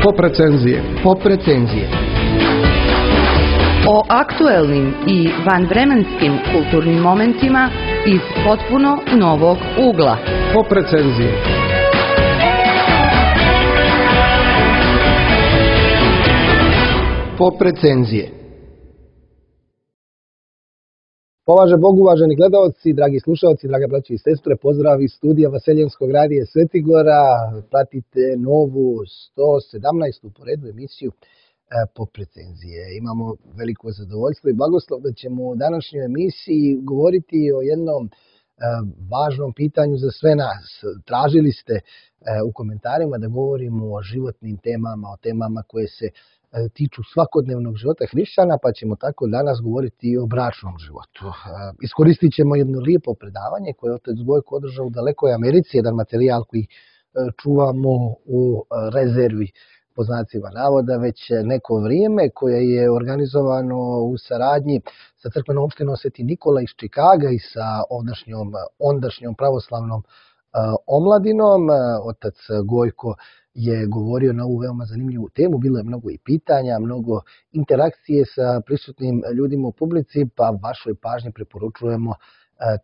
Pop recenzije. Pop recenzije. O aktuelnim i vanvremenskim kulturnim momentima iz potpuno novog ugla. Pop recenzije. Pop recenzije. Považe Bog, uvaženi gledalci, dragi slušalci, drage braće i sestre, pozdrav iz studija Vaseljenskog radija Svetigora. Pratite novu 117. po redu emisiju Pop recenzije. Imamo veliko zadovoljstvo i blagoslov da ćemo u današnjoj emisiji govoriti o jednom važnom pitanju za sve nas. Tražili ste u komentarima da govorimo o životnim temama, o temama koje se tiču svakodnevnog života hrišćana, pa ćemo tako danas govoriti i o bračnom životu. Iskoristit ćemo jedno lijepo predavanje koje je otac Gojko održao u dalekoj Americi, jedan materijal koji čuvamo u rezervi, po znacima navoda, već neko vrijeme, koje je organizovano u saradnji sa crkvenom opštinom Sveti Nikola iz Čikaga i sa ondašnjom pravoslavnom omladinom. Otac Gojko je govorio na ovu veoma zanimljivu temu, bilo je mnogo i pitanja, mnogo interakcije sa prisutnim ljudima u publici, pa vašoj pažnji preporučujemo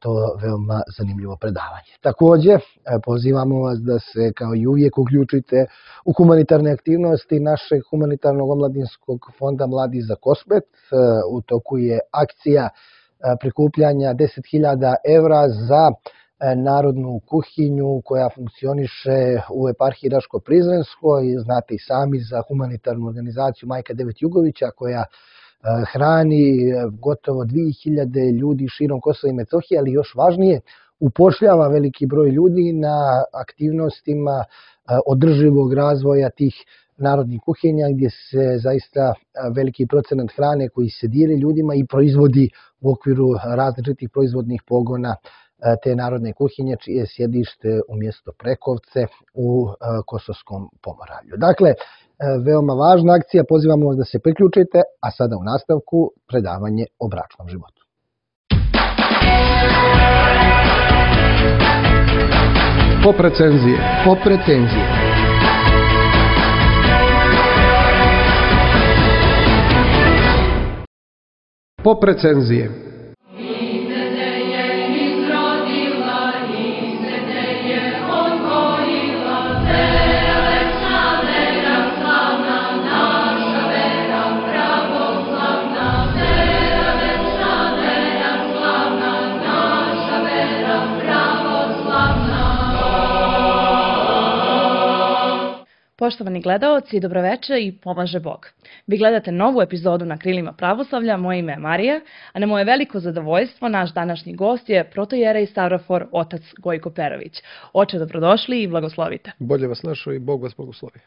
to veoma zanimljivo predavanje. Također, pozivamo vas da se kao i uvijek uključite u humanitarne aktivnosti našeg humanitarnog omladinskog fonda Mladi za Kosmet. U toku je akcija prikupljanja 10.000 evra za narodnu kuhinju koja funkcioniše u eparhiji Raško-Prizrenskoj. Znate i sami za humanitarnu organizaciju Majka Devet Jugovića koja hrani gotovo 2000 ljudi širom Kosova i Metohije, ali još važnije, upošljava veliki broj ljudi na aktivnostima održivog razvoja tih narodnih kuhinja, gdje se zaista veliki procenat hrane koji se dijeli ljudima i proizvodi u okviru različitih proizvodnih pogona te narodne kuhinje, čije je sjedište u mjesto Prekovce u Kosovskom Pomoravlju. Dakle, veoma važna akcija, pozivamo vas da se priključite, a sada u nastavku predavanje o bračnom životu. Pop recenzije. Pop recenzije. Pop recenzije. Poštovani gledaoci, dobroveče i pomaže Bog. Vi gledate novu epizodu na Krilima pravoslavlja, moje ime je Marija, a na moje veliko zadovoljstvo naš današnji gost je protojerej Stavrofor otac Gojko Perović. Oče, dobrodošli i blagoslovite. Bolje vas našao i Bog vas blagoslovi.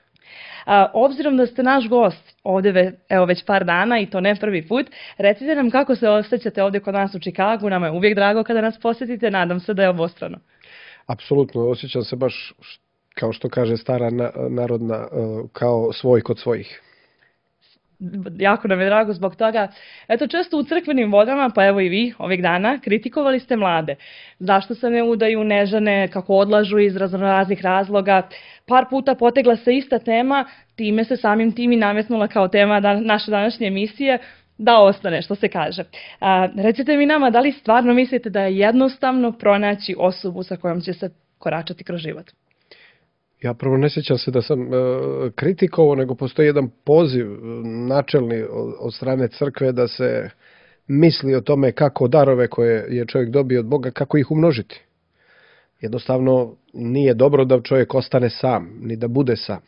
Obzirom da ste naš gost ovdje već par dana i to ne prvi put, recite nam kako se osjećate ovdje kod nas u Čikagu. Nama je uvijek drago kada nas posjetite, nadam se da je obostrano. Apsolutno, osjećam se baš, kao što kaže stara narodna, kao svoj kod svojih. Jako nam je drago zbog toga. Eto, često u crkvenim vodama, pa evo i vi ovih dana, kritikovali ste mlade. Zašto se ne udaju, ne žene, kako odlažu iz raznoraznih razloga. Par puta potegla se ista tema, time se samim tim i nametnula kao tema naše današnje emisije, da ostane, što se kaže. Recite mi nama, da li stvarno mislite da je jednostavno pronaći osobu sa kojom će se koračati kroz život? Ja prvo ne sjećam se da sam kritikovao, nego postoji jedan poziv načelni od strane crkve da se misli o tome kako darove koje je čovjek dobio od Boga, kako ih umnožiti. Jednostavno nije dobro da čovjek ostane sam, ni da bude sam.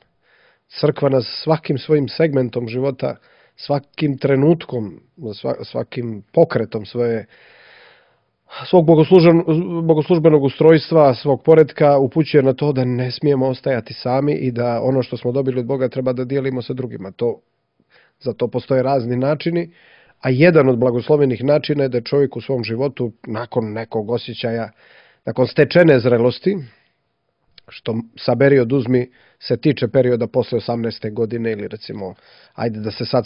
Crkva nas svakim svojim segmentom života, svakim trenutkom, svakim pokretom svog bogoslužbenog ustrojstva, svog poretka upućuje na to da ne smijemo ostajati sami i da ono što smo dobili od Boga treba da dijelimo sa drugima. Za to postoje razni načini, a jedan od blagoslovenih načina je da čovjek u svom životu nakon nekog osjećaja, nakon stečene zrelosti, što saberi oduzmi se tiče perioda posle 18. godine ili recimo, ajde da se sad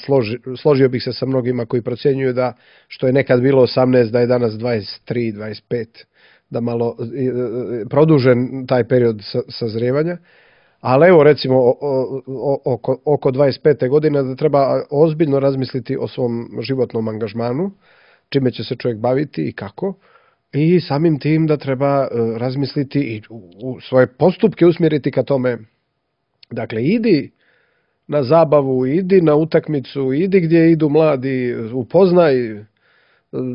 složio bih se sa mnogima koji procjenjuju da što je nekad bilo 18, da je danas 23, 25, da malo produžen taj period sazrijevanja, Ali evo recimo oko 25. godine da treba ozbiljno razmisliti o svom životnom angažmanu, čime će se čovjek baviti i kako. I samim tim da treba razmisliti i u svoje postupke usmjeriti ka tome. Dakle, idi na zabavu, idi na utakmicu, idi gdje idu mladi, upoznaj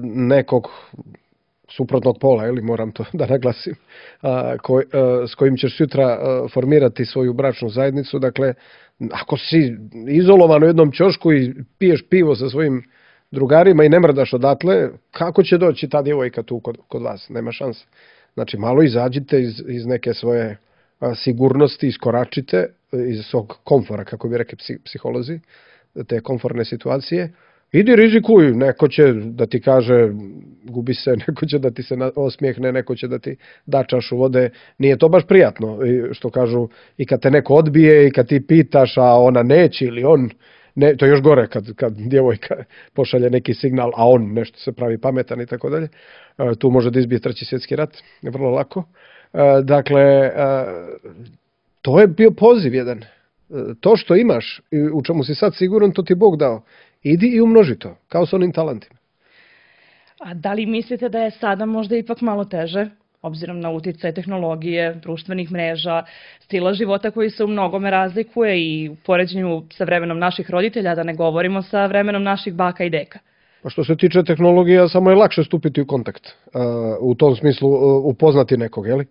nekog suprotnog pola, ili moram to da naglasim, s kojim ćeš sutra formirati svoju bračnu zajednicu. Dakle, ako si izolovan u jednom ćošku i piješ pivo sa svojim drugarima i ne mrdaš odatle, kako će doći ta djevojka tu kod vas? Nema šanse. Znači, malo izađite iz neke svoje sigurnosti, iskoračite iz svog komfora, kako bi rekli psiholozi, te komforne situacije. Idi rizikuj, neko će da ti kaže gubi se, neko će da ti se osmijehne, neko će da ti da čašu vode. Nije to baš prijatno, što kažu, i kad te neko odbije i kad ti pitaš, a ona neće ili on, ne, to je još gore kad djevojka pošalje neki signal, a on nešto se pravi pametan i tako dalje. Tu može da izbije 3. svjetski rat, vrlo lako. Dakle, to je bio poziv jedan. To što imaš, u čemu si sad siguran, to ti Bog dao. Idi i umnoži to, kao s onim talentima. A da li mislite da je sada možda ipak malo teže, obzirom na uticaj tehnologije, društvenih mreža, stila života koji se u mnogome razlikuje i u poređenju sa vremenom naših roditelja, da ne govorimo sa vremenom naših baka i deka? Pa što se tiče tehnologija, samo je lakše stupiti u kontakt. U tom smislu upoznati nekog, jeli?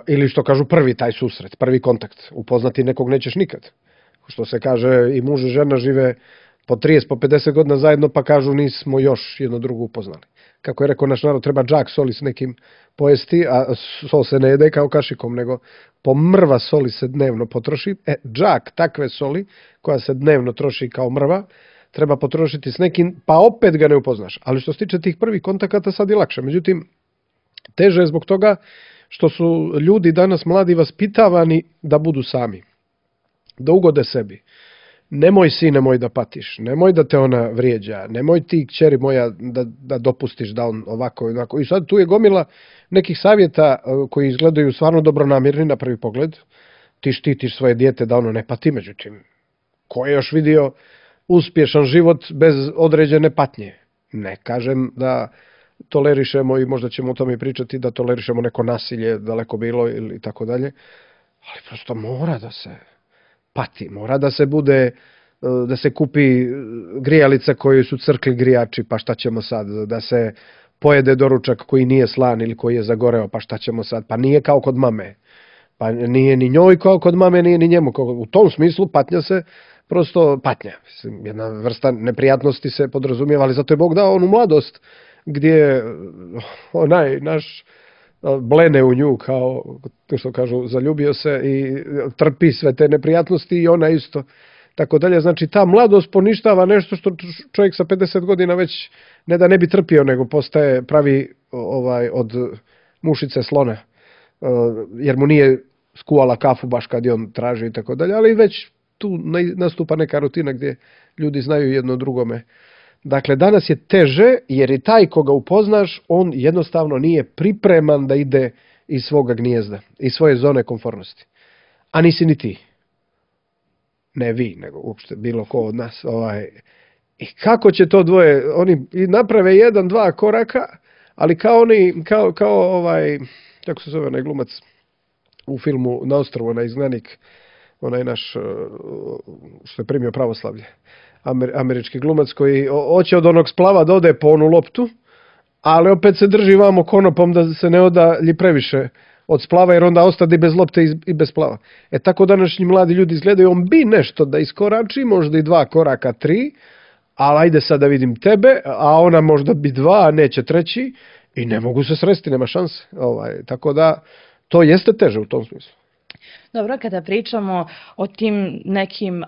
Ili što kažu prvi taj susret, prvi kontakt. Upoznati nekog nećeš nikad. Što se kaže, i muž i žena žive po 30, po 50 godina zajedno, pa kažu nismo još jedno drugo upoznali. Kako je rekao naš narod, treba džak soli s nekim pojesti, a sol se ne jede kao kašikom, nego po mrva soli se dnevno potroši. Džak takve soli, koja se dnevno troši kao mrva, treba potrošiti s nekim, pa opet ga ne upoznaš. Ali što se tiče tih prvih kontakata, sad je lakše. Međutim, teže je zbog toga što su ljudi danas mladi vaspitavani da budu sami, da ugode sebi. Nemoj sine moj da patiš, nemoj da te ona vrijeđa, nemoj ti kćeri moja da dopustiš da on ovako i onako. I sad tu je gomila nekih savjeta koji izgledaju stvarno dobronamjerni na prvi pogled. Ti štitiš svoje dijete da ono ne pati, međutim, ko je još vidio uspješan život bez određene patnje? Ne kažem da tolerišemo, i možda ćemo o tome pričati, da tolerišemo neko nasilje, daleko bilo ili tako dalje, ali prosto mora da se pati, mora da se bude, da se kupi grijalica koju su crkli grijači, pa šta ćemo sad, da se pojede doručak koji nije slan ili koji je zagoreo, pa šta ćemo sad, pa nije kao kod mame, pa nije ni njoj kao kod mame, nije ni njemu. U tom smislu patnja se prosto patnja. Jedna vrsta neprijatnosti se podrazumijeva, ali zato je Bog dao onu mladost gdje onaj naš blene u nju, kao što kažu, zaljubio se i trpi sve te neprijatnosti i ona isto. Tako dalje, znači ta mladost poništava nešto što čovjek sa 50 godina već ne da ne bi trpio, nego postaje pravi od mušice slona, jer mu nije skuvala kafu baš kad je on traži i tako dalje, ali već tu nastupa neka rutina gdje ljudi znaju jedno drugome. Dakle, danas je teže jer i taj koga upoznaš, on jednostavno nije pripreman da ide iz svoga gnijezda, iz svoje zone komfornosti. A nisi ni ti. Ne vi, nego uopšte bilo ko od nas. I kako će to dvoje, oni naprave 1-2 koraka, ali kao oni, kako se zove onaj glumac u filmu Na ostrvu, onaj izgnanik, onaj naš što je primio pravoslavlje, američki glumac koji hoće od onog splava da ode po onu loptu, ali opet se drži vamo konopom da se ne odalji previše od splava, jer onda ostade bez lopte i bez splava. Tako današnji mladi ljudi izgledaju, on bi nešto da iskorači, možda i 2 koraka, 3, ali ajde sad da vidim tebe, a ona možda bi 2, a neće 3, i ne mogu se sresti, nema šanse. Tako da to jeste teže u tom smislu. Dobro, kada pričamo o tim nekim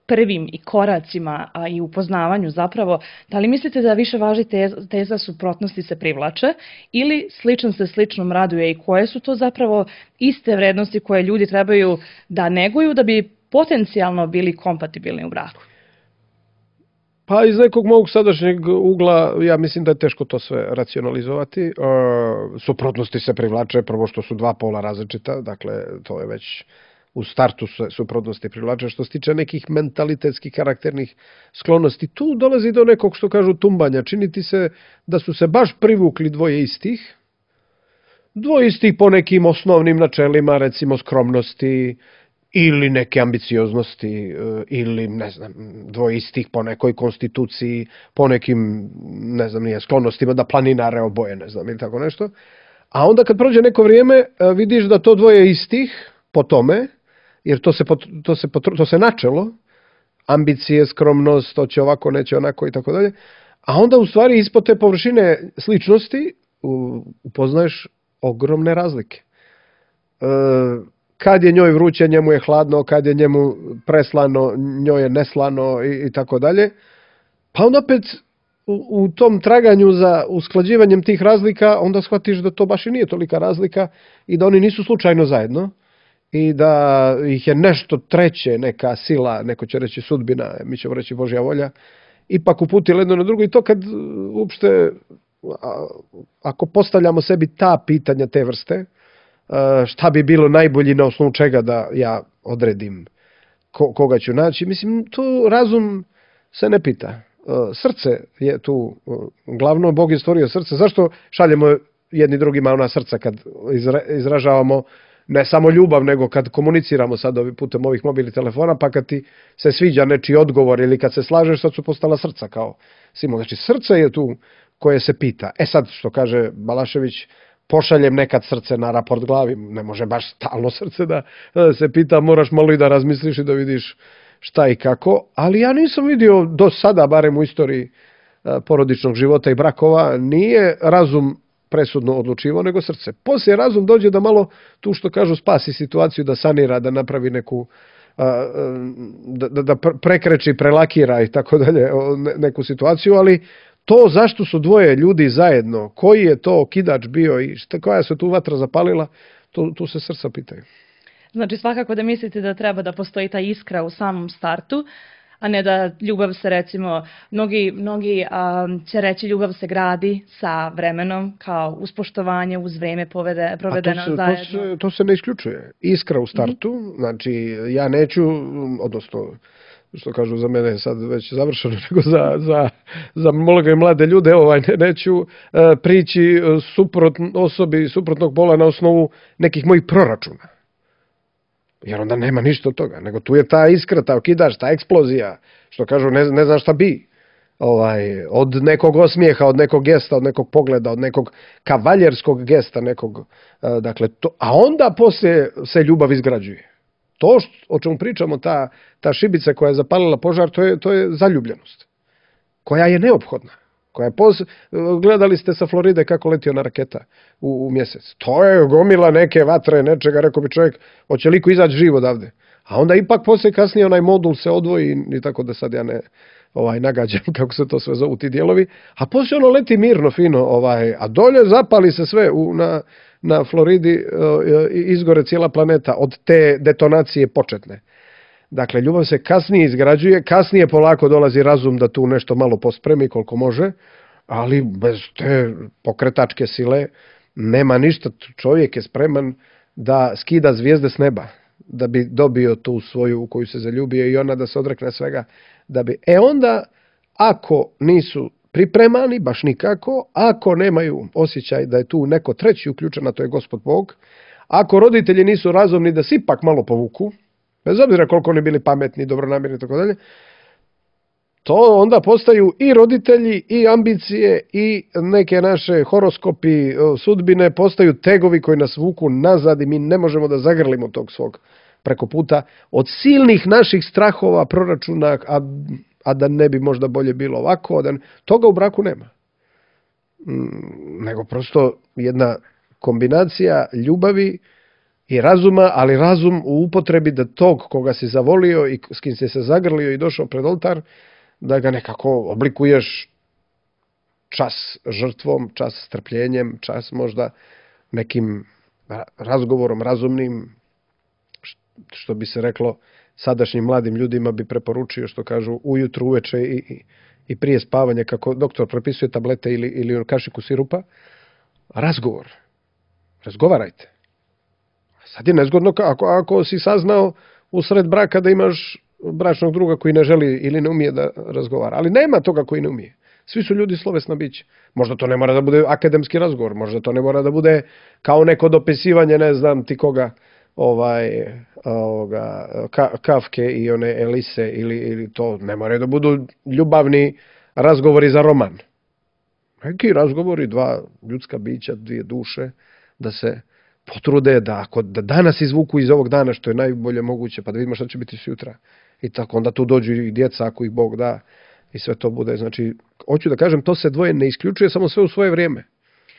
prvim i koracima i upoznavanju zapravo, da li mislite da više važi teza suprotnosti se privlače ili sličan se sličnom raduje, i koje su to zapravo iste vrednosti koje ljudi trebaju da neguju da bi potencijalno bili kompatibilni u braku? Pa iz nekog mog sadašnjeg ugla, ja mislim da je teško to sve racionalizovati. Suprotnosti se privlače, prvo što su dva pola različita, dakle to je već u startu se suprotnosti privlače. Što se tiče nekih mentalitetskih karakternih sklonosti, tu dolazi do nekog, što kažu, tumbanja. Čini ti se da su se baš privukli dvoje istih po nekim osnovnim načelima, recimo skromnosti, ili neke ambicioznosti, ili, ne znam, dvoje istih po nekoj konstituciji, po nekim, ne znam, nije, sklonostima da planinare oboje, ne znam, ili tako nešto. A onda kad prođe neko vrijeme, vidiš da to dvoje istih po tome, jer to se načelo, ambicije, skromnost, to će ovako, neće onako i tako dalje, a onda u stvari ispod te površine sličnosti upoznaješ ogromne razlike. Kad je njoj vruće, njemu je hladno, kad je njemu preslano, njoj je neslano i tako dalje. Pa onda opet u tom traganju za usklađivanjem tih razlika onda shvatiš da to baš i nije tolika razlika i da oni nisu slučajno zajedno i da ih je nešto treće, neka sila, neko će reći sudbina, mi ćemo reći Božja volja, ipak uputilo jedno na drugo. I to kad uopšte, ako postavljamo sebi ta pitanja te vrste, šta bi bilo najbolji, na osnovu čega da ja odredim koga ću naći, mislim, tu razum se ne pita. Srce je tu glavno, Bog je stvorio srce. Zašto šaljemo jedni drugima ona srca kad izražavamo ne samo ljubav, nego kad komuniciramo sad putem ovih mobilnih telefona, pa kad ti se sviđa nečiji odgovor ili kad se slažeš, sad su postala srca kao simbol. Znači, srce je tu koje se pita. Sad, što kaže Balašević, pošaljem nekad srce na raport glavi, ne može baš stalno srce da se pita, moraš malo i da razmisliš i da vidiš šta i kako, ali ja nisam vidio do sada, barem u istoriji porodičnog života i brakova, nije razum presudno odlučivao, nego srce. Poslije razum dođe da malo, tu što kažu, spasi situaciju, da sanira, da napravi neku, da prekreči, prelakira i tako dalje neku situaciju, ali to zašto su dvoje ljudi zajedno, koji je to okidač bio i koja se tu vatra zapalila, tu se srca pitaju. Znači, svakako da mislite da treba da postoji ta iskra u samom startu, a ne da ljubav se, recimo, mnogi će reći ljubav se gradi sa vremenom, kao uz poštovanje, uz vreme provedeno zajedno. To se ne isključuje. Iskra u startu, znači ja neću, odnosno, što kažu za mene sad već završeno, nego za mnoge mlade ljude, neću prići osobi suprotnog pola na osnovu nekih mojih proračuna. Jer onda nema ništa od toga, nego tu je ta iskra, ta okidač, ta eksplozija, što kažu ne znam šta bi. Od nekog osmijeha, od nekog gesta, od nekog pogleda, od nekog kavaljerskog gesta, dakle, a onda poslije se ljubav izgrađuje. To o čemu pričamo, ta šibica koja je zapalila požar, to je zaljubljenost, koja je neophodna. Gledali ste sa Floride kako leti ona raketa u mjesec. To je gomila neke vatre, nečega, rekao bi čovjek, hoće liko izaći živ odavde. A onda ipak poslije kasnije onaj modul se odvoji, i tako da sad ja ne nagađam kako se to sve zovu ti dijelovi, a poslije ono leti mirno, fino, a dolje zapali se sve na Floridi, izgore cijela planeta od te detonacije početne. Dakle, ljubav se kasnije izgrađuje, kasnije polako dolazi razum da tu nešto malo pospremi koliko može, ali bez te pokretačke sile nema ništa. Čovjek je spreman da skida zvijezde s neba, da bi dobio tu svoju u koju se zaljubio i ona da se odrekne svega. Onda, ako nisu pripremani, baš nikako, ako nemaju osjećaj da je tu neko treći uključen, a to je Gospod Bog, ako roditelji nisu razumni da se ipak malo povuku, bez obzira koliko oni bili pametni, dobronamjerni i tako dalje, to onda postaju i roditelji, i ambicije, i neke naše horoskopi, sudbine, postaju tegovi koji nas vuku nazad i mi ne možemo da zagrlimo tog svog preko puta od silnih naših strahova, proračuna, a da ne bi možda bolje bilo ovako, toga u braku nema. Nego prosto jedna kombinacija ljubavi i razuma, ali razum u upotrebi da tog koga si zavolio i s kim si se zagrlio i došao pred oltar, da ga nekako oblikuješ čas žrtvom, čas strpljenjem, čas možda nekim razgovorom razumnim, što bi se reklo sadašnjim mladim ljudima bi preporučio, što kažu ujutru, uveče i prije spavanja, kako doktor propisuje tablete ili kašiku sirupa, razgovor. Razgovarajte. Sad je nezgodno ako si saznao usred braka da imaš bračnog druga koji ne želi ili ne umije da razgovara. Ali nema toga koji ne umije. Svi su ljudi slovesna bića. Možda to ne mora da bude akademski razgovor, možda to ne mora da bude kao neko dopisivanje, ne znam ti koga, Kafke i one Elise, ili to ne mora da budu ljubavni razgovori za roman. Neki razgovori, dva ljudska bića, dvije duše, da se potrude da danas izvuku iz ovog dana što je najbolje moguće, pa da vidimo šta će biti sutra. I tako onda tu dođu i djeca ako ih Bog da i sve to bude. Znači, hoću da kažem, to se dvoje ne isključuje, samo sve u svoje vrijeme.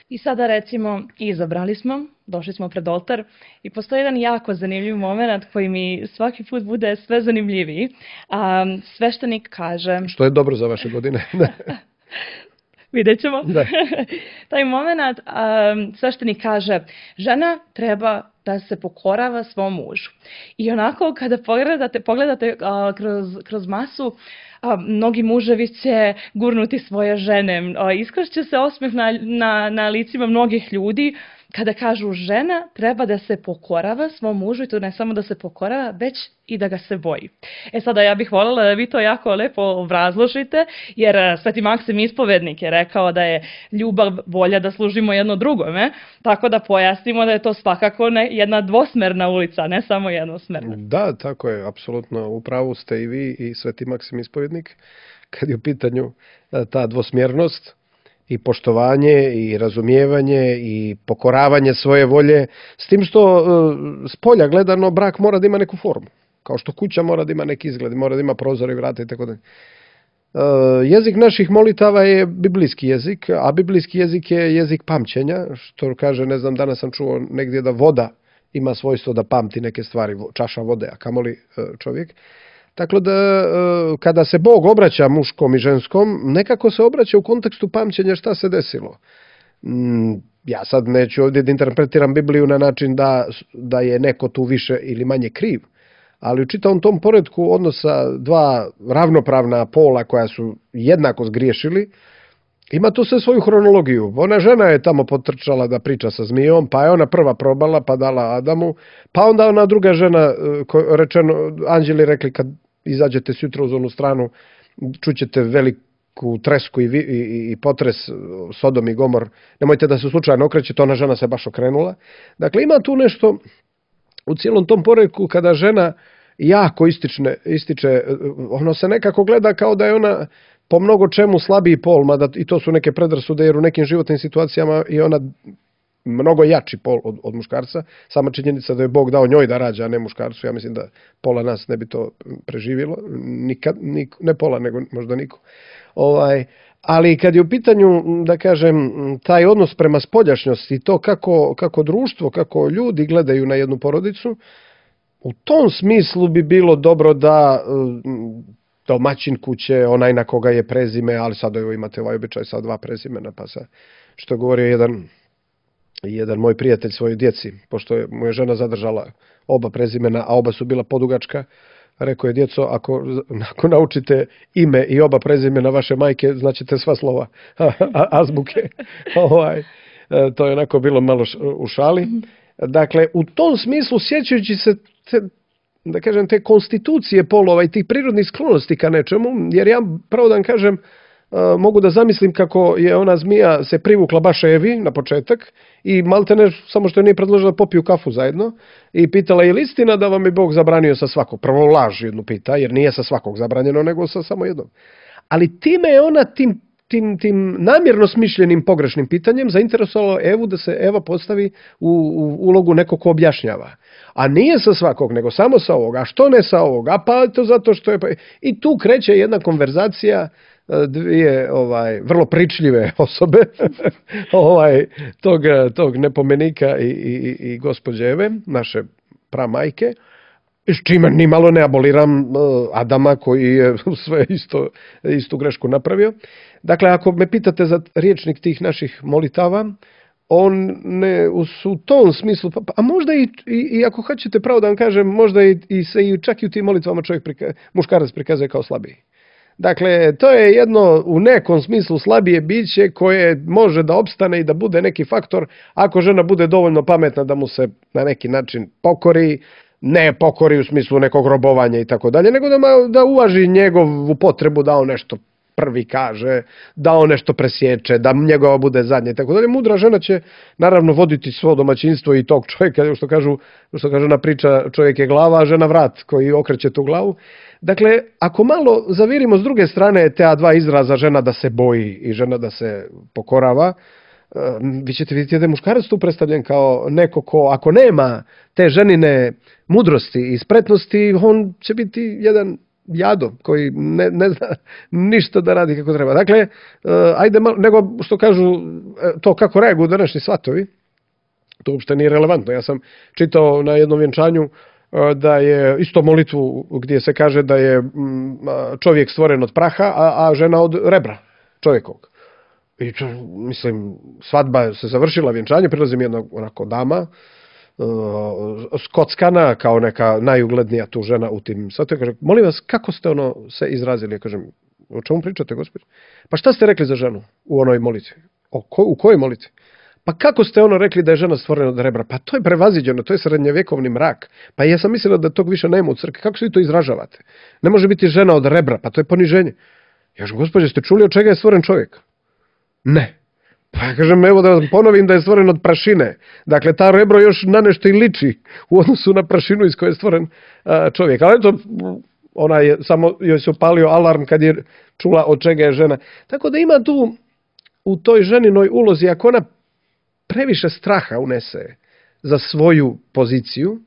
I sada recimo izabrali smo, došli smo pred oltar i postoji jedan jako zanimljiv moment koji mi svaki put bude sve zanimljiviji. Sveštenik kaže... Što je dobro za vaše godine. Vidjet ćemo. Taj moment, sveštenik kaže, žena treba da se pokorava svom mužu. I onako kada pogledate kroz masu, mnogi muževi će gurnuti svoje žene. Iskršće se osmeh na licima mnogih ljudi kada kažu žena treba da se pokorava svom mužu i to ne samo da se pokorava, već i da ga se boji. Sada ja bih voljela da vi to jako lepo obrazložite, jer Sveti Maksim Ispovednik je rekao da je ljubav volja da služimo jedno drugome, tako da pojasnimo da je to svakako jedna dvosmerna ulica, ne samo jednosmerna. Da, tako je, apsolutno. U pravu ste i vi i Sveti Maksim Ispovednik, kad je u pitanju ta dvosmjernost, i poštovanje, i razumijevanje, i pokoravanje svoje volje, s tim što s polja gledano brak mora da ima neku formu. Kao što kuća mora da ima neki izgled, mora da ima prozor i vrata i tako da. Jezik naših molitava je biblijski jezik, a biblijski jezik je jezik pamćenja, što kaže, ne znam, danas sam čuo negdje da voda ima svojstvo da pamti neke stvari, čaša vode, a kamoli čovjek. Tako da kada se Bog obraća muškom i ženskom, nekako se obraća u kontekstu pamćenja šta se desilo. Ja sad neću ovdje da interpretiram Bibliju na način da je neko tu više ili manje kriv, ali u čitavom tom poretku odnosa dva ravnopravna pola koja su jednako zgriješili, ima tu sve svoju hronologiju. Ona žena je tamo potrčala da priča sa zmijom, pa je ona prva probala, pa dala Adamu, pa onda ona druga žena, rečeno, anđeli rekli kad izađete sutra uz onu stranu, čućete veliku tresku i potres, Sodom i Gomor, nemojte da se slučajno okrećete, ona žena se baš okrenula. Dakle, ima tu nešto u cijelom tom poretku kada žena jako ističe, ono se nekako gleda kao da je ona po mnogo čemu slabiji pol, mada i to su neke predrasude, jer u nekim životnim situacijama je ona mnogo jači pol od muškarca. Sama činjenica da je Bog dao njoj da rađa, a ne muškarcu, ja mislim da pola nas ne bi to preživjelo. Nikad, ne pola, nego možda niko. Ali kad je u pitanju, da kažem, taj odnos prema spoljašnjosti i to kako društvo, kako ljudi gledaju na jednu porodicu, u tom smislu bi bilo dobro da domaćin kuće, onaj na koga je prezime, ali sad imate ovaj običaj sa dva prezimena, pa sa, što govorio jedan moj prijatelj svojoj djeci, pošto mu je žena zadržala oba prezimena, a oba su bila podugačka, rekao je: djeco, ako naučite ime i oba prezimena vaše majke, znaćete sva slova azbuke. To je onako bilo malo u šali. Dakle, u tom smislu, sjećajući se da kažem, te konstitucije polova i tih prirodnih sklonosti ka nečemu, jer ja, pravo da vam kažem, mogu da zamislim kako je ona zmija se privukla baš Evi na početak i maltene, samo što je nije predložila da popiju kafu zajedno, i pitala: je li istina da vam je Bog zabranio sa svakog? Prvo laž jednu pita, jer nije sa svakog zabranjeno, nego sa samo jednog. Ali time je ona tim namjerno smišljenim pogrešnim pitanjem zainteresovala Evu da se Eva postavi u ulogu nekog ko objašnjava. A nije sa svakog, nego samo sa ovoga. A što ne sa ovoga? Pa to zato što je... I tu kreće jedna konverzacija dvije vrlo pričljive osobe tog nepomenika i gospođe Eve, naše pramajke, s čime ni malo ne aboliram Adama koji je sve istu grešku napravio. Dakle, ako me pitate za rječnik tih naših molitava, on ne u tom smislu, a možda i ako hoćete pravo da vam kažem, možda čak i u tim molitvama muškarac prikazuje kao slabiji. Dakle, to je jedno u nekom smislu slabije biće koje može da opstane i da bude neki faktor ako žena bude dovoljno pametna da mu se na neki način pokori, ne pokori u smislu nekog robovanja i tako dalje, nego da uvaži njegovu potrebu da on nešto prvi kaže, da on nešto presječe, da njegova bude zadnje i tako dalje. Mudra žena će naravno voditi svo domaćinstvo i tog čovjeka, što kažu ona priča, čovjek je glava, a žena vrat koji okreće tu glavu. Dakle, ako malo zavirimo s druge strane te dva izraza, žena da se boji i žena da se pokorava, vi ćete vidjeti da je muškarac tu predstavljen kao neko ko, ako nema te ženine mudrosti i spretnosti, on će biti jedan jado koji ne zna ništa da radi kako treba. Dakle, ajde malo, nego što kažu to kako reaguju današnji svatovi, to uopšte nije relevantno. Ja sam čitao na jednom vjenčanju da je isto molitvu gdje se kaže da je čovjek stvoren od praha, a žena od rebra čovjekovog. I mislim, svadba se završila, vjenčanje, prilazi mi jedna onako dama, skockana kao neka najuglednija tu žena u tim svatovima, kaže, molim vas, kako ste se izrazili? Ja kažem, o čemu pričate, gospođo? Pa šta ste rekli za ženu u onoj molitvi? U kojoj molitvi? Pa kako ste rekli da je žena stvorena od rebra? Pa to je prevaziđeno, to je srednjevjekovni mrak. Pa ja sam mislila da tog više nema u crkvi. Kako se vi to izražavate? Ne može biti žena od rebra, pa to je poniženje. Ja kažem, gospođo, ste čuli od čega je stvoren čovjek? Ne. Pa ja kažem, evo da vam ponovim da je stvoren od prašine. Dakle, ta rebro još na nešto i liči u odnosu na prašinu iz koje je stvoren čovjek. Ali eto, ona je samo joj se upalio alarm kad je čula od čega je žena. Tako da ima tu u toj ženinoj ulozi, ako ona previše straha unese za svoju poziciju,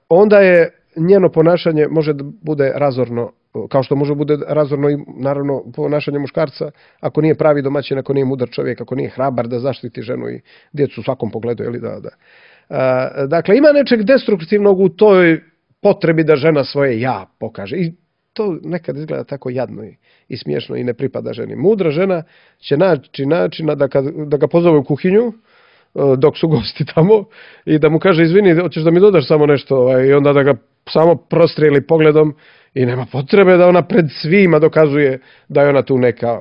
onda je njeno ponašanje može da bude razorno, kao što može bude razorno i naravno ponašanje muškarca ako nije pravi domaćin, ako nije mudar čovjek, ako nije hrabar da zaštiti ženu i djecu u svakom pogledu. Dakle, ima nečeg destruktivnog u toj potrebi da žena svoje ja pokaže. I to nekad izgleda tako jadno i smiješno i ne pripada ženi. Mudra žena će naći načina da ga pozove u kuhinju dok su gosti tamo i da mu kaže, izvini, hoćeš da mi dodaš samo nešto, i onda da ga samo prostrijeli pogledom i nema potrebe da ona pred svima dokazuje da je ona tu neka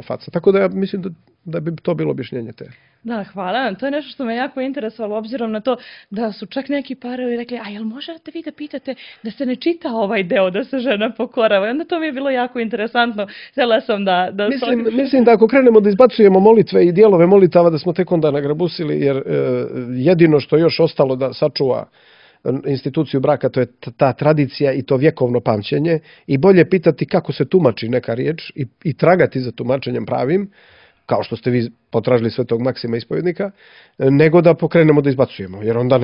faca. Tako da ja mislim da bi to bilo objašnjenje te. Da, hvala. To je nešto što me jako interesovalo, obzirom na to da su čak neki parovi rekli, a jel možete vi da pitate da se ne čita ovaj deo, da se žena pokorava? I onda to mi je bilo jako interesantno. Htjela sam da... Mislim da ako krenemo da izbacujemo molitve i dijelove molitava, da smo tek onda nagrabusili, jer jedino što je još ostalo da sačuva instituciju braka, to je ta tradicija i to vjekovno pamćenje, i bolje pitati kako se tumači neka riječ i tragati za tumačenjem pravim, kao što ste vi potražili Svetog Maksima ispovjednika, nego da pokrenemo da izbacujemo, jer onda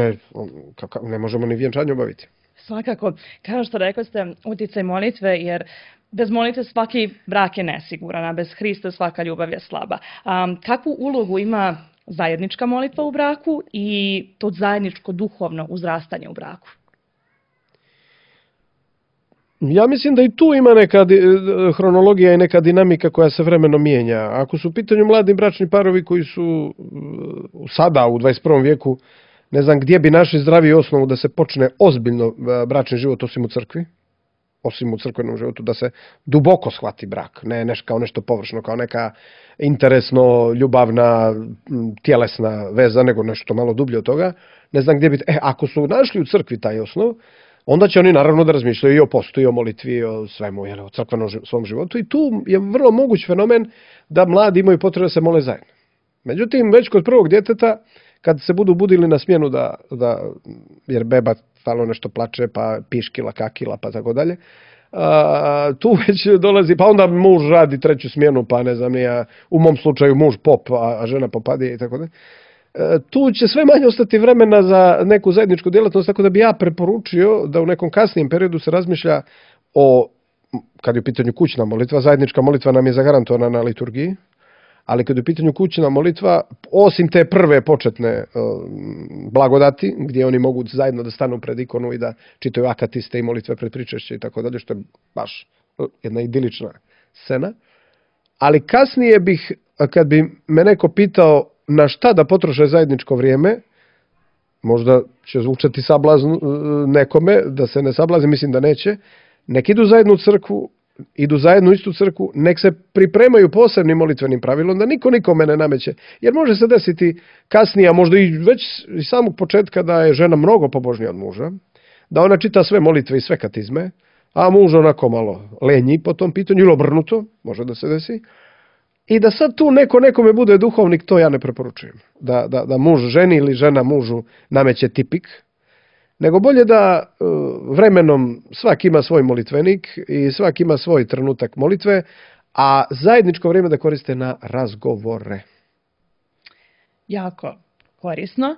ne možemo ni vjenčanje obaviti. Svakako, kao što rekao ste, uticaj molitve, jer bez molitve svaki brak je nesiguran, a bez Hrista svaka ljubav je slaba. Kakvu ulogu ima zajednička molitva u braku i to zajedničko duhovno uzrastanje u braku? Ja mislim da i tu ima neka hronologija i neka dinamika koja se vremenom mijenja. Ako su u pitanju mladi bračni parovi koji su sada u 21. vijeku, ne znam gdje bi našli zdraviju osnovu da se počne ozbiljno bračni život osim u crkvi, osim u crkvenom životu, da se duboko shvati brak, ne kao nešto površno, kao neka interesno, ljubavna, tjelesna veza, nego nešto malo dublje od toga. Ne znam gdje bi... ako su našli u crkvi taj osnov, onda će oni naravno da razmišljaju i o postu, i o molitvi, i o svemu, o crkvenom svom životu. I tu je vrlo moguć fenomen da mladi imaju potrebu da se mole zajedno. Međutim, već kod prvog djeteta, kad se budu budili na smjenu jer beba stalno nešto plače, pa piškila, kakila, pa tako dalje, tu već dolazi, pa onda muž radi treću smjenu, pa ne znam, u mom slučaju muž pop, a žena popadije i tako dalje. Tu će sve manje ostati vremena za neku zajedničku djelatnost, tako da bi ja preporučio da u nekom kasnijem periodu se razmišlja kad je u pitanju kućna molitva, zajednička molitva nam je zagarantovana na liturgiji, ali kad je u pitanju kućna molitva, osim te prve početne blagodati, gdje oni mogu zajedno da stanu pred ikonu i da čitaju akatiste i molitve pred pričešće i tako dalje, što je baš jedna idilična scena. Ali kasnije kad bi me neko pitao na šta da potroše zajedničko vrijeme, možda će zvučati sablazn nekome, da se ne sablazi, mislim da neće, nek idu zajedno u crkvu, idu zajedno u istu crkvu, nek se pripremaju posebnim molitvenim pravilom, da niko nikome ne nameće. Jer može se desiti kasnije, a možda i već iz samog početka, da je žena mnogo pobožnija od muža, da ona čita sve molitve i sve katizme, a muž onako malo lenji po tom pitanju, ili obrnuto, može da se desi. I da sad tu nekome bude duhovnik, to ja ne preporučujem. Da muž ženi ili žena mužu nameće tipik, nego bolje da vremenom svak ima svoj molitvenik i svak ima svoj trenutak molitve, a zajedničko vrijeme da koriste na razgovore. Jako korisno.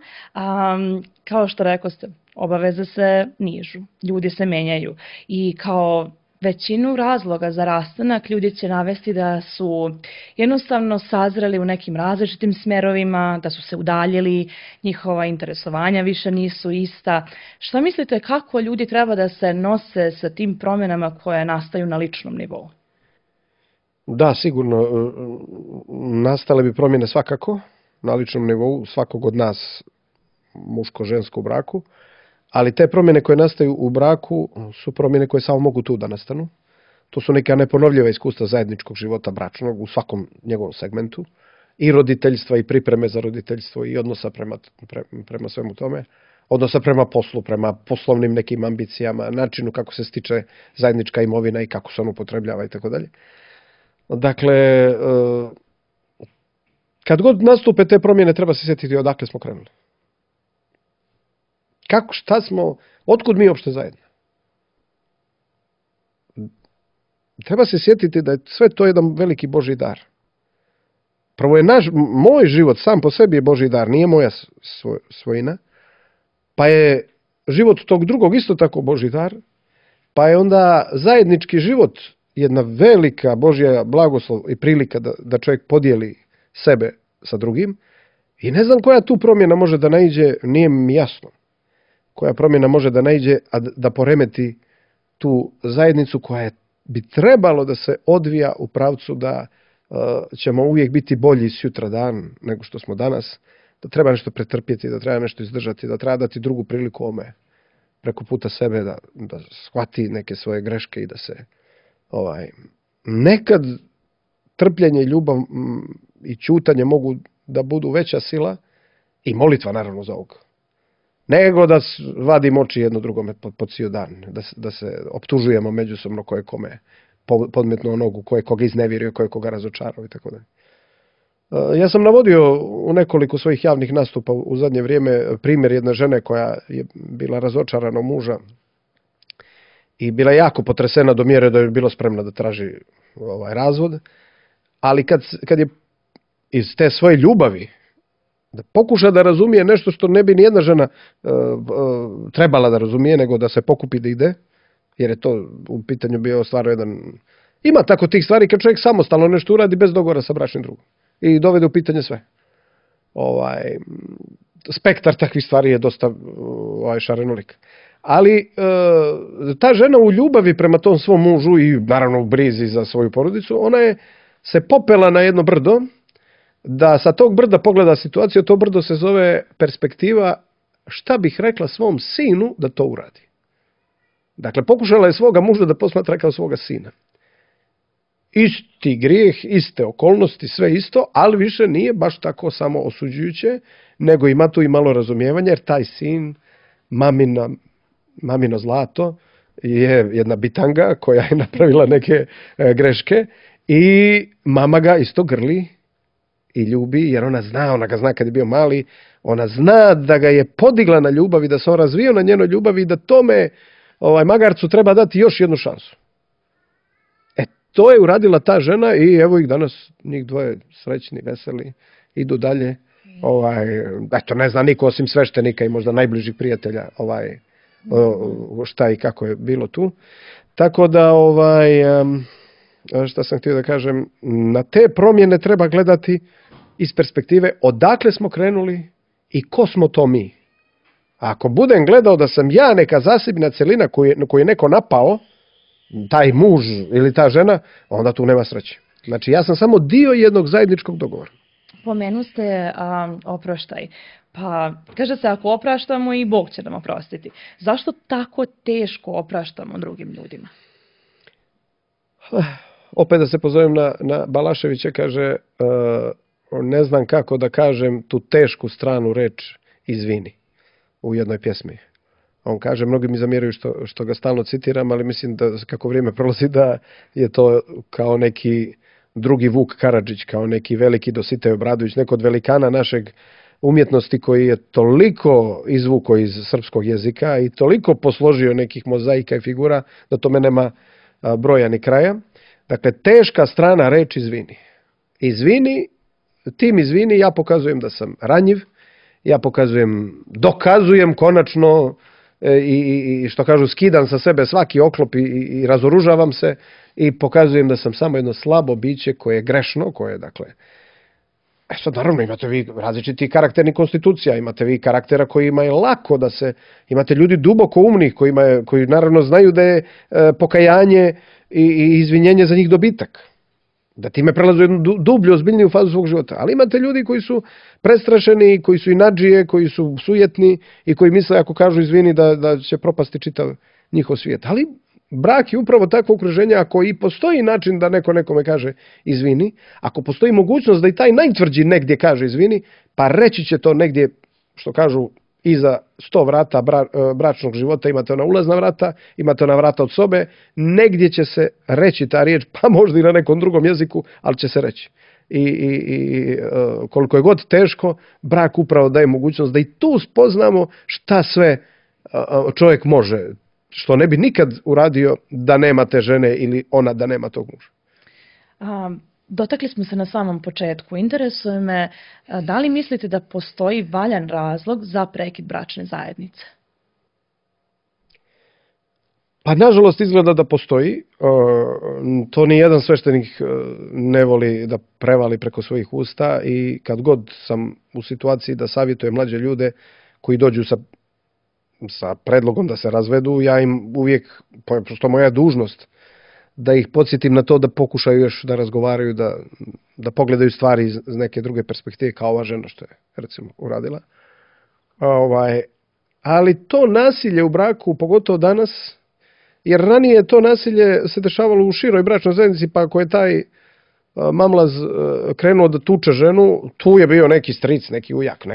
Kao što rekoste, obaveze se nižu, ljudi se menjaju i kao većinu razloga za rastanak ljudi će navesti da su jednostavno sazreli u nekim različitim smerovima, da su se udaljili, njihova interesovanja više nisu ista. Šta mislite, kako ljudi treba da se nose sa tim promjenama koje nastaju na ličnom nivou? Da, sigurno, nastale bi promjene svakako na ličnom nivou svakog od nas, muško-žensko u braku, ali te promjene koje nastaju u braku su promjene koje samo mogu tu da nastanu. To su neka neponovljiva iskustva zajedničkog života bračnog u svakom njegovom segmentu, i roditeljstva i pripreme za roditeljstvo i odnosa prema svemu tome, odnosa prema poslu, prema poslovnim nekim ambicijama, načinu kako se stiče zajednička imovina i kako se on upotrebljava i tako dalje. Dakle, kad god nastupe te promjene, treba se sjetiti odakle smo krenuli. Šta smo, otkud mi uopšte zajedno? Treba se sjetiti da je sve to jedan veliki Božji dar. Prvo je moj život sam po sebi je Božji dar, nije moja svojina, pa je život tog drugog isto tako Božji dar, pa je onda zajednički život jedna velika Božja blagoslov i prilika da čovjek podijeli sebe sa drugim, i ne znam koja tu promjena može da naiđe, nije mi jasno. Koja promjena može da naiđe, a da poremeti tu zajednicu koja bi trebalo da se odvija u pravcu da ćemo uvijek biti bolji sutra dan nego što smo danas, da treba nešto pretrpjeti, da treba nešto izdržati, da treba dati drugu priliku ome preko puta sebe da shvati neke svoje greške i da se nekad trpljenje i ljubav i ćutanje mogu da budu veća sila, i molitva naravno za ovog, nego da vadimo oči jedno drugome po cijel dan, da se optužujemo međusobno ko je kome podmetnuo nogu, ko je koga iznevjerio, ko je koga razočarao i tako dalje. Ja sam navodio u nekoliko svojih javnih nastupa u zadnje vrijeme primjer jedne žene koja je bila razočarana u muža i bila jako potresena do mjere da je bila spremna da traži razvod, ali kad je iz te svoje ljubavi da pokuša da razumije nešto što ne bi nijedna žena trebala da razumije, nego da se pokupi da ide, jer je to u pitanju bio stvarno jedan... Ima tako tih stvari kad čovjek samostalno nešto uradi bez dogovora sa bračnim drugom i dovede u pitanje sve. Spektar takvih stvari je dosta šarenolik. Ali ta žena u ljubavi prema tom svom mužu i naravno u brizi za svoju porodicu, ona je se popela na jedno brdo, da sa tog brda pogleda situaciju. To brdo se zove perspektiva, šta bih rekla svom sinu da to uradi. Dakle, pokušala je svoga muža da posmatra kao svoga sina. Isti grijeh, iste okolnosti, sve isto, ali više nije baš tako samo osuđujuće, nego ima tu i malo razumijevanja, jer taj sin, mamino zlato, je jedna bitanga koja je napravila neke greške i mama ga isto grli i ljubi, jer ona ga zna kad je bio mali, ona zna da ga je podigla na ljubav i da se on razvio na njenoj ljubavi i da tome magarcu treba dati još jednu šansu. To je uradila ta žena i evo ih danas, njih dvoje srećni, veseli, idu dalje. Eto, ne zna niko osim sveštenika i možda najbližih prijatelja šta i kako je bilo tu. Tako da, šta sam htio da kažem, na te promjene treba gledati iz perspektive odakle smo krenuli i ko smo to mi. A ako budem gledao da sam ja neka zasebna celina koju je neko napao, taj muž ili ta žena, onda tu nema sreće. Znači, ja sam samo dio jednog zajedničkog dogovora. Pomenu ste oproštaj. Pa, kaže se, ako opraštamo i Bog će nam oprostiti. Zašto tako teško opraštamo drugim ljudima? Opet da se pozovem na Balaševića, kaže, ne znam kako da kažem tu tešku stranu reč izvini u jednoj pjesmi. On kaže, mnogi mi zamjeraju što ga stalno citiram, ali mislim da kako vrijeme prolazi da je to kao neki drugi Vuk Karadžić, kao neki veliki Dositej Obradović, neko od velikana našeg umjetnosti koji je toliko izvukao iz srpskog jezika i toliko posložio nekih mozaika i figura da tome nema broja ni kraja. Dakle, teška strana reči izvini. Izvini, tim izvini ja pokazujem da sam ranjiv, ja dokazujem konačno i što kažu skidam sa sebe svaki oklop i razoružavam se i pokazujem da sam samo jedno slabo biće koje je grešno, koje je dakle... Sad naravno imate vi različiti karakterni konstitucija, imate vi karaktera kojima je lako da se, imate ljudi duboko umnih koji naravno znaju da je pokajanje i izvinjenje za njih dobitak. Da time prelazu jednu dublju, ozbiljniju fazu svog života. Ali imate ljudi koji su prestrašeni, koji su inadžije, koji su sujetni i koji misle ako kažu izvini da će propasti čitav njihov svijet. Ali brak je upravo takvo okruženje, ako i postoji način da neko nekome kaže izvini, ako postoji mogućnost da i taj najtvrđi negdje kaže izvini, pa reći će to negdje, što kažu, iza 100 vrata bračnog života, imate ona ulazna vrata, imate ona vrata od sobe, negdje će se reći ta riječ, pa možda i na nekom drugom jeziku, ali će se reći. I koliko je god teško, brak upravo daje mogućnost da i tu spoznamo šta sve čovjek može, što ne bi nikad uradio da nema te žene ili ona da nema tog muža. Dotakli smo se na samom početku. Interesuje me, da li mislite da postoji valjan razlog za prekid bračne zajednice? Pa nažalost izgleda da postoji. To ni jedan sveštenik ne voli da prevali preko svojih usta i kad god sam u situaciji da savjetujem mlađe ljude koji dođu sa predlogom da se razvedu, ja im uvijek, što moja dužnost, da ih podsjetim na to da pokušaju još da razgovaraju, da pogledaju stvari iz neke druge perspektive, kao ova žena što je, recimo, uradila. Ali to nasilje u braku, pogotovo danas, jer ranije to nasilje se dešavalo u široj bračnoj zajednici, pa ako je taj mamlaz krenuo da tuče ženu, tu je bio neki stric, neki ujak,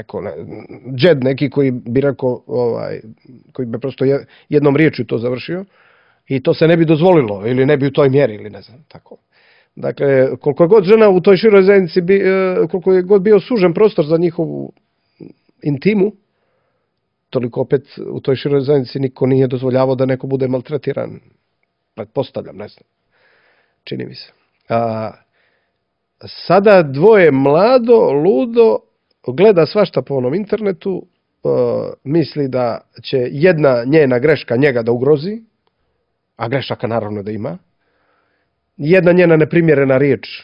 džed neki koji bi rekao, koji bi prosto jednom riječju to završio i to se ne bi dozvolilo ili ne bi u toj mjeri ili ne znam, tako. Dakle, koliko je god žena u toj široj zajednici, koliko je god bio sužen prostor za njihovu intimu, toliko opet u toj široj zajednici niko nije dozvoljavao da neko bude maltretiran. Pretpostavljam, ne znam. Čini mi se. Sada dvoje mlado, ludo, gleda svašta po onom internetu, misli da će jedna njena greška njega da ugrozi, a grešaka naravno da ima. Jedna njena neprimjerena riječ,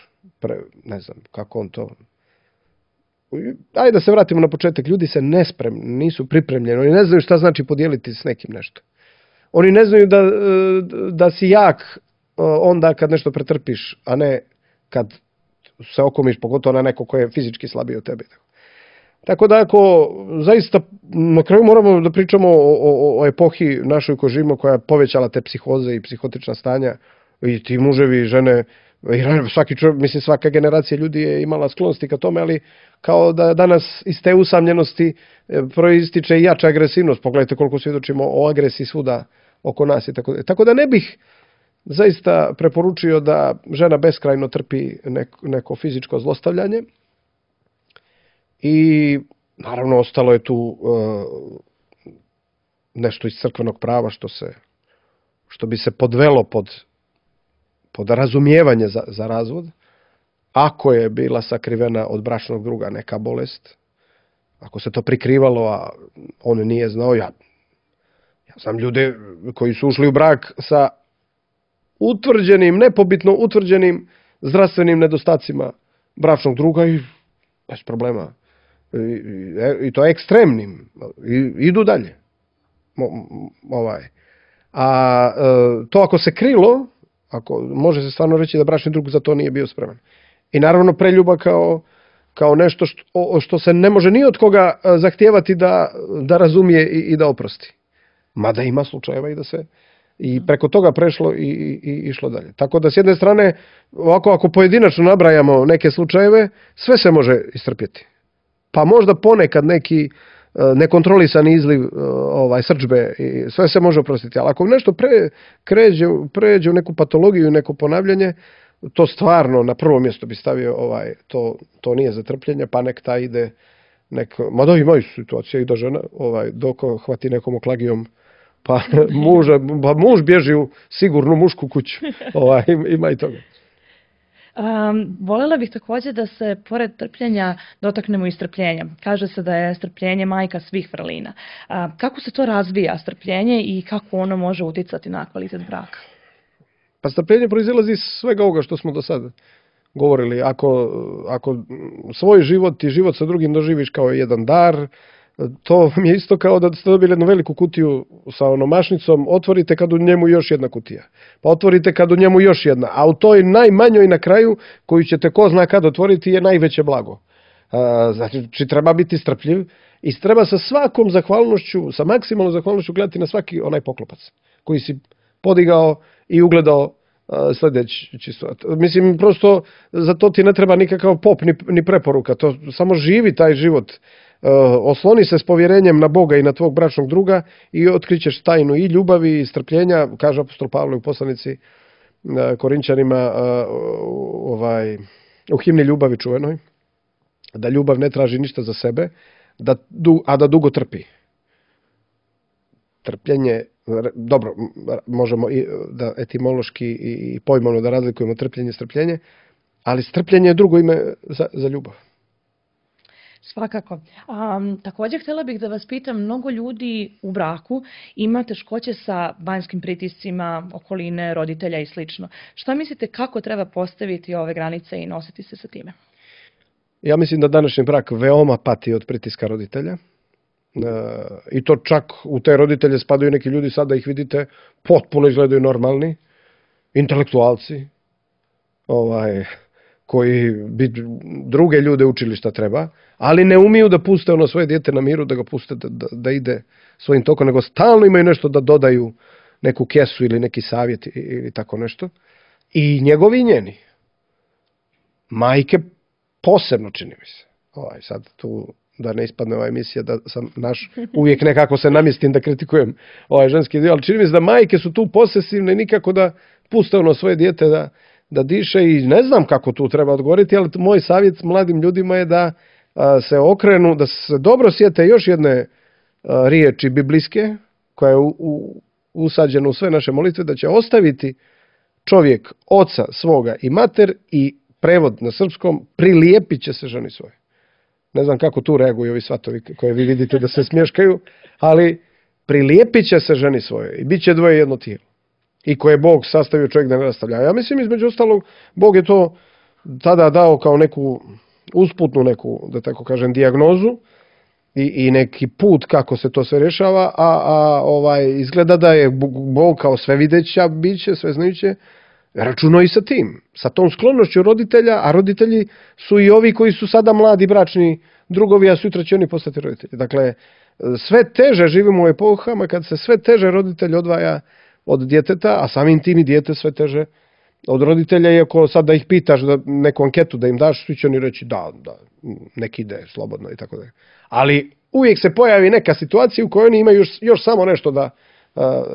ne znam kako on to... Ajde da se vratimo na početak. Ljudi se nisu pripremljeni, oni ne znaju šta znači podijeliti s nekim nešto. Oni ne znaju da si jak onda kad nešto pretrpiš, a ne kad se okomiš, pogotovo na neko ko je fizički slabiji od tebe. Tako da ako zaista na kraju moramo da pričamo o epohi našoj koju živimo, koja je povećala te psihoze i psihotična stanja i ti muževi i žene, svaka generacija ljudi je imala sklonosti ka tome, ali kao da danas iz te usamljenosti proističe i jača agresivnost. Pogledajte koliko svjedočimo o agresiji svuda oko nas i tako da. Tako da ne bih zaista preporučio da žena beskrajno trpi neko fizičko zlostavljanje. I naravno ostalo je tu nešto iz crkvenog prava što bi se podvelo pod razumijevanje za razvod. Ako je bila sakrivena od bračnog druga neka bolest, ako se to prikrivalo, a on nije znao, ja znam ljude koji su ušli u brak sa nepobitno utvrđenim zdravstvenim nedostacima bračnog druga i bez problema. I to ekstremnim. Idu dalje. A to ako se krilo, može se stvarno reći da bračni drug za to nije bio spreman. I naravno preljuba kao nešto što se ne može ni od koga zahtijevati da razumije i da oprosti. Mada ima slučajeva i i preko toga prešlo i išlo dalje. Tako da s jedne strane, ovako ako pojedinačno nabrajamo neke slučajeve, sve se može istrpjeti. Pa možda ponekad neki nekontrolisani izliv srdžbe i sve se može oprostiti. Ali ako nešto pređe u neku patologiju i neko ponavljanje, to stvarno na prvo mjesto bi stavio to nije za trpljenje, pa nek ta ide mada imaju situacije i da žena dok hvati nekom oklagijom pa muž bježi u sigurnu mušku kuću. Ima i toga. Voljela bih također da se pored trpljenja dotaknemo i strpljenja. Kaže se da je strpljenje majka svih vrlina. Kako se to razvija strpljenje i kako ono može utjecati na kvalitet braka? Pa strpljenje proizilazi iz svega ovoga što smo do sada govorili. Ako svoj život i život sa drugim doživiš kao jedan dar, to mi je isto kao da ste dobili jednu veliku kutiju sa onom mašnicom, otvorite kad u njemu još jedna kutija. Pa otvorite kad u njemu još jedna. A u toj najmanjoj na kraju, koju ćete ko zna kad otvoriti, je najveće blago. Znači, treba biti strpljiv i treba sa svakom zahvalnošću, sa maksimalnom zahvalnošću gledati na svaki onaj poklopac koji si podigao i ugledao sljedeći stvar. Mislim, prosto za to ti ne treba nikakav pop ni preporuka. To samo živi taj život. Osloni se s povjerenjem na Boga i na tvog bračnog druga i otkrićeš tajnu i ljubavi i strpljenja, kaže apostol Pavle u poslanici Korinčanima u himni ljubavi čuvenoj, da ljubav ne traži ništa za sebe, a da dugo trpi. Trpljenje, dobro, možemo da etimološki i pojmovno da razlikujemo trpljenje i strpljenje, ali strpljenje je drugo ime za ljubav. Svakako. Također htjela bih da vas pitam, mnogo ljudi u braku ima teškoće sa vanjskim pritiscima, okoline, roditelja i slično. Šta mislite kako treba postaviti ove granice i nositi se sa time? Ja mislim da današnji brak veoma pati od pritiska roditelja. I to čak u te roditelje spadaju neki ljudi, sada ih vidite, potpuno izgledaju normalni, intelektualci, koji bi druge ljude učili šta treba, ali ne umiju da puste ono svoje dijete na miru, da ga puste da ide svojim tokom, nego stalno imaju nešto da dodaju, neku kesu ili neki savjet ili tako nešto. I njegovi i njeni. Majke posebno, čini mi se. Sad tu da ne ispadne ova emisija da sam uvijek nekako se namjestim da kritikujem ovaj ženski dio, ali čini mi se da majke su tu posesivne i nikako da puste ono svoje dijete da diše i ne znam kako tu treba odgovoriti, ali moj savjet mladim ljudima je da se okrenu, da se dobro sjete još jedne riječi biblijske koja je usađena u sve naše molitve, da će ostaviti čovjek oca svoga i mater i prevod na srpskom, prilijepit će se ženi svoje. Ne znam kako tu reaguju ovi svatovi koje vi vidite da se smješkaju, ali prilijepit će se ženi svoje i bit će dvoje jedno tijelo. I koje je Bog sastavio čovjek da ne rastavlja. Ja mislim, između ostalog, Bog je to tada dao kao neku usputnu neku, da tako kažem, dijagnozu i neki put kako se to sve rješava, a izgleda da je Bog kao svevideća biće, sveznajuće, računao i sa tim, sa tom sklonošću roditelja, a roditelji su i ovi koji su sada mladi bračni drugovi, a sutra će oni postati roditelji. Dakle, sve teže živimo u epohama kad se sve teže roditelj odvaja od djeteta, a samim tim i dijete sve teže od roditelja, iako sad da ih pitaš da neku anketu da im daš, svi će oni reći da, nek ide slobodno i tako da. Ali uvijek se pojavi neka situacija u kojoj oni imaju još samo nešto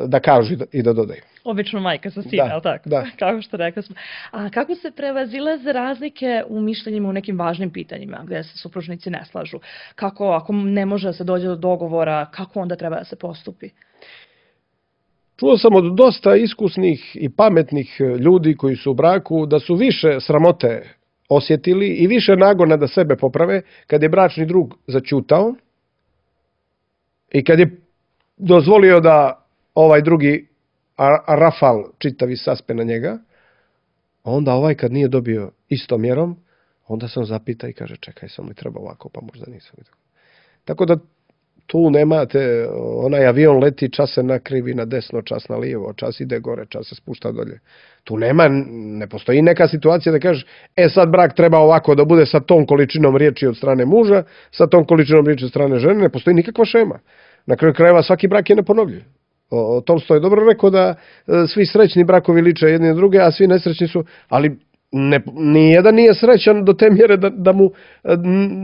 da kažu i da dodaju. Obično majka sa sina, ali tako? Da. Kako što rekao smo. A kako se prevazilaze razlike u mišljenjima u nekim važnim pitanjima gdje se supružnici ne slažu? Kako, ako ne može da se dođe do dogovora, kako onda treba da se postupi? Čuo sam od dosta iskusnih i pametnih ljudi koji su u braku da su više sramote osjetili i više nagona da sebe poprave kad je bračni drug zaćutao i kad je dozvolio da ovaj drugi rafal čitavi saspe na njega, onda ovaj kad nije dobio istom mjerom, onda sam zapita i kaže čekaj, sam li treba ovako, pa možda nisam. Tako da tu nemate, onaj avion leti, čas se nakrivi na desno, čas na lijevo, čas ide gore, čas se spušta dolje. Tu ne postoji neka situacija da kažeš, sad brak treba ovako da bude sa tom količinom riječi od strane muža, sa tom količinom riječi od strane žene, ne postoji nikakva šema. Na kraju krajeva svaki brak je neponovljiv. Tolstoj je dobro rekao da svi srećni brakovi liče jedni na druge, a svi nesrećni su, ali nijedan nije srećan do te mjere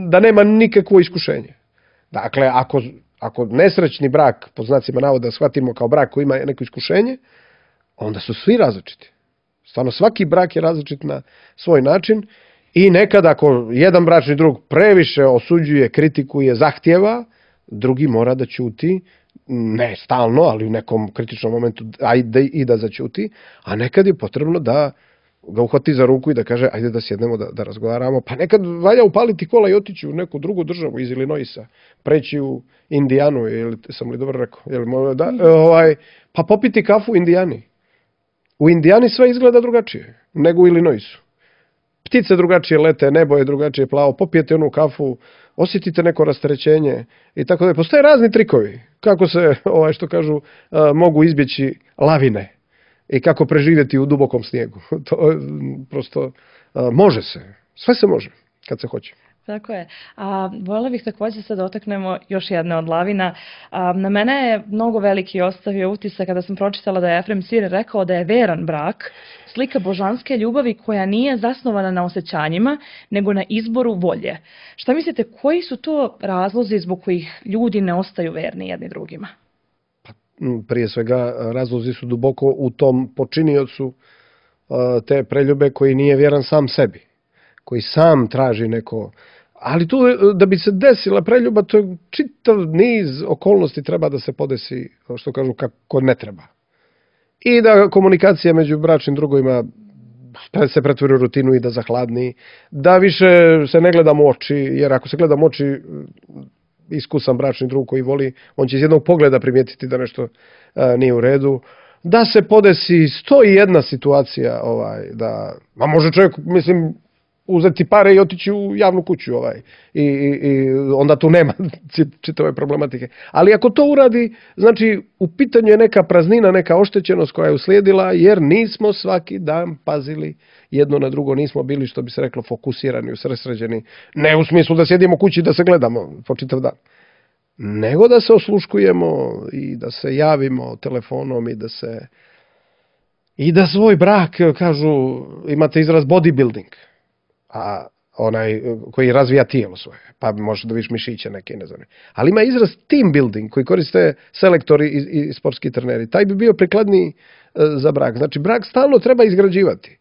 da nema nikakvo iskušenje. Dakle, ako nesrećni brak, po znacima navoda, shvatimo kao brak koji ima neko iskušenje, onda su svi različiti. Stvarno, svaki brak je različit na svoj način i nekad ako jedan bračni drug previše osuđuje, kritikuje, zahtjeva, drugi mora da ćuti, ne stalno, ali u nekom kritičnom momentu i da zaćuti, a nekad je potrebno da ga uhvati za ruku i da kaže ajde da sjednemo da razgovaramo. Pa nekad valja upaliti kola i otići u neku drugu državu iz Illinoisa, preći u Indijanu, sam li dobro rekao? Pa popiti kafu u Indijani. U Indijani sve izgleda drugačije nego u Illinoisu. Ptice drugačije lete, nebo je drugačije plavo, popijete onu kafu, osjetite neko rasterećenje i tako da. Postoje razni trikovi kako se, što kažu, mogu izbjeći lavine i kako preživjeti u dubokom snijegu. To prosto može se. Sve se može kad se hoće. Tako je. Voljela bih također se dotaknemo još jedne od lavina. Na mene je mnogo veliki ostavio utisak kada sam pročitala da je Efrem Sir rekao da je veran brak slika božanske ljubavi koja nije zasnovana na osjećanjima, nego na izboru volje. Šta mislite, koji su to razlozi zbog kojih ljudi ne ostaju verni jedni drugima? Prije svega, razlozi su duboko u tom počiniocu te preljube koji nije vjeran sam sebi, koji sam traži neko. Ali tu, da bi se desila preljuba, to je čitav niz okolnosti treba da se podesi, što kažu, kako ne treba. I da komunikacija među bračnim drugovima se pretvori u rutinu i da zahladni, da više se ne gledamo u oči, jer ako se gledamo u oči, iskusan bračni drug koji voli, on će iz jednog pogleda primijetiti da nešto nije u redu. Da se podesi 101 situacija, ma može čovjek, mislim, uzeti pare i otići u javnu kuću i onda tu nema čitave problematike. Ali ako to uradi, znači u pitanju je neka praznina, neka oštećenost koja je uslijedila jer nismo svaki dan pazili jedno na drugo, nismo bili, što bi se reklo, fokusirani, usredsređeni. Ne u smislu da sjedimo kući i da se gledamo po čitav dan, nego da se osluškujemo i da se javimo telefonom i da svoj brak, kažu, imate izraz bodybuilding, a onaj koji razvija tijelo svoje, pa može da viš mišiće neke, ne znam. Ali ima izraz team building koji koriste selektori i sportski treneri. Taj bi bio prikladniji za brak. Znači, brak stalno treba izgrađivati.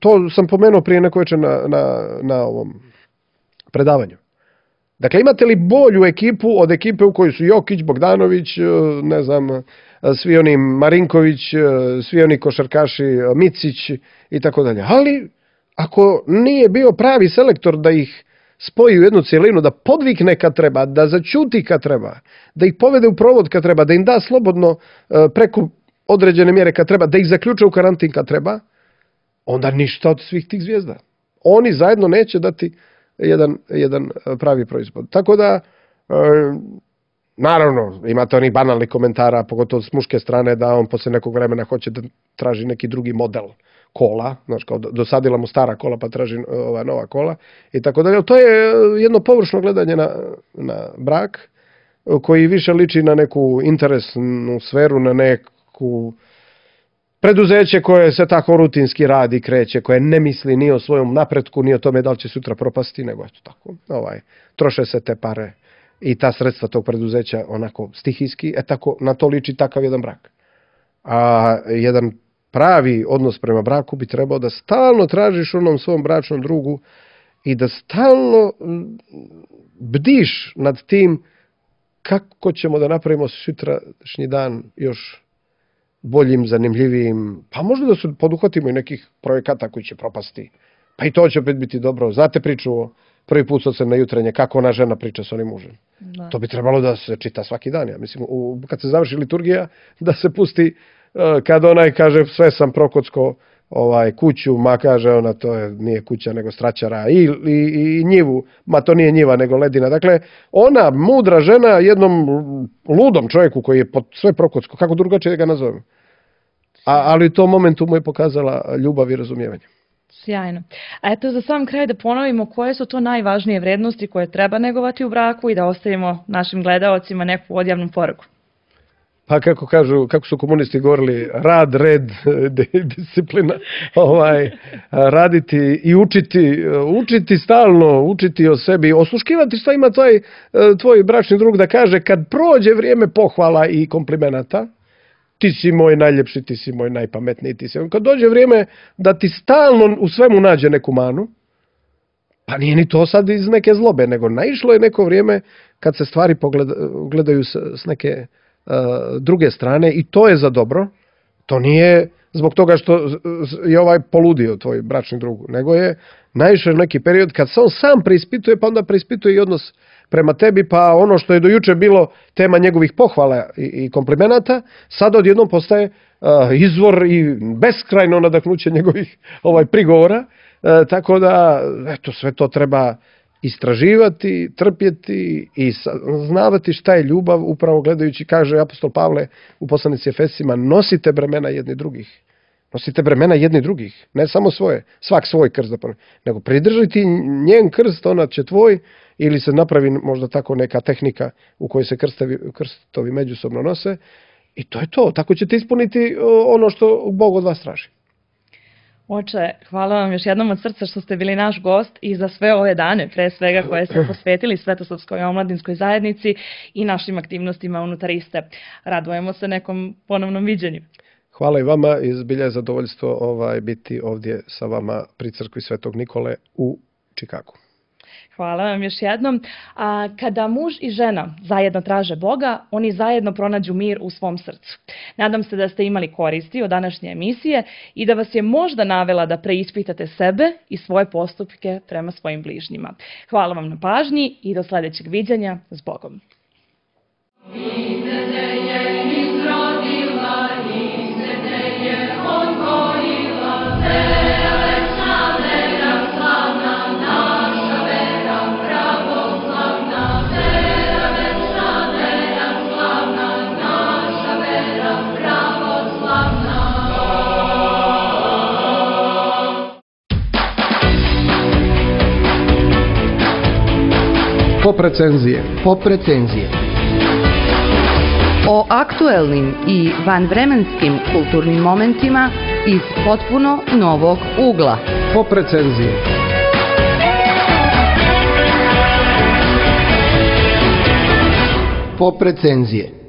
To sam pomenuo prije neko večer na ovom predavanju. Dakle, imate li bolju ekipu od ekipe u kojoj su Jokić, Bogdanović, ne znam, svi oni Marinković, svi oni košarkaši, Micić i tako dalje. Ali ako nije bio pravi selektor da ih spoji u jednu cijelinu, da podvikne kad treba, da zaćuti kad treba, da ih povede u provod kad treba, da im da slobodno preko određene mjere kad treba, da ih zaključe u karantin kad treba, onda ništa od svih tih zvijezda. Oni zajedno neće dati jedan pravi proizvod. Tako da, naravno, imate onih banalnih komentara, pogotovo s muške strane, da on poslije nekog vremena hoće da traži neki drugi model kola, znači kao dosadila mu stara kola pa traži nova kola i tako dalje. To je jedno površno gledanje na brak koji više liči na neku interesnu sferu, na neku preduzeće koje se tako rutinski radi, kreće, koje ne misli ni o svojom napretku, ni o tome da li će sutra propasti, nego eto tako, troše se te pare i ta sredstva tog preduzeća onako stihijski, tako na to liči takav jedan brak. A jedan pravi odnos prema braku bi trebao da stalno tražiš onom svom bračnom drugu i da stalno bdiš nad tim kako ćemo da napravimo sutrašnji dan još boljim, zanimljivijim, pa možda da se poduhvatimo i nekih projekata koji će propasti, pa i to će opet biti dobro. Znate priču o prvi put na jutrenje, kako ona žena priča s onim mužem. Da. To bi trebalo da se čita svaki dan. Ja mislim, kad se završi liturgija, da se pusti kad onaj kaže sve sam prokocko kuću, ma kaže ona nije kuća nego straćara i njivu, ma to nije njiva nego ledina. Dakle, ona mudra žena jednom ludom čovjeku koji je sve prokocko, kako drugačije ga nazovem. Ali u tom momentu mu je pokazala ljubav i razumijevanje. Sjajno. A eto za sam kraj da ponovimo koje su to najvažnije vrednosti koje treba negovati u braku i da ostavimo našim gledaocima neku odjavnu poruku. pa kako su komunisti govorili, rad, red, disciplina, raditi i učiti stalno, učiti o sebi, osluškivati šta ima tvoj bračni drug da kaže kad prođe vrijeme pohvala i komplimenata, ti si moj najljepši, ti si moj najpametniji, kad dođe vrijeme da ti stalno u svemu nađe neku manu, pa nije ni to sad iz neke zlobe, nego naišlo je neko vrijeme kad se stvari gledaju s neke druge strane i to je za dobro. To nije zbog toga što je poludio tvoj bračni drug, nego je naišao neki period kad se on sam preispituje, pa onda preispituje i odnos prema tebi, pa ono što je do juče bilo tema njegovih pohvala i komplimenata, sad odjednom postaje izvor i beskrajno nadahnuće njegovih prigovora. Tako da, eto, sve to treba istraživati, trpjeti i znavati šta je ljubav, upravo gledajući, kaže apostol Pavle u poslanici Efesima, nosite bremena jedni drugih. Nosite bremena jedni drugih, ne samo svoje, svak svoj krst, nego pridržati njen krst, ona će tvoj, ili se napravi možda tako neka tehnika u kojoj se krstovi međusobno nose i to je to. Tako ćete ispuniti ono što Bog od vas traži. Oče, hvala vam još jednom od srca što ste bili naš gost i za sve ove dane, pre svega koje ste posvetili Svetosavskoj omladinskoj zajednici i našim aktivnostima unutar iste. Radujemo se nekom ponovnom viđenju. Hvala i vama i zbilja je zadovoljstvo biti ovdje sa vama pri crkvi Svetog Nikole u Čikagu. Hvala vam još jednom. Kada muž i žena zajedno traže Boga, oni zajedno pronađu mir u svom srcu. Nadam se da ste imali koristi od današnje emisije i da vas je možda navela da preispitate sebe i svoje postupke prema svojim bližnjima. Hvala vam na pažnji i do sljedećeg viđenja. S Bogom. Pop recenzije. O aktuelnim i vanvremenskim kulturnim momentima iz potpuno novog ugla. Pop recenzije. Pop recenzije.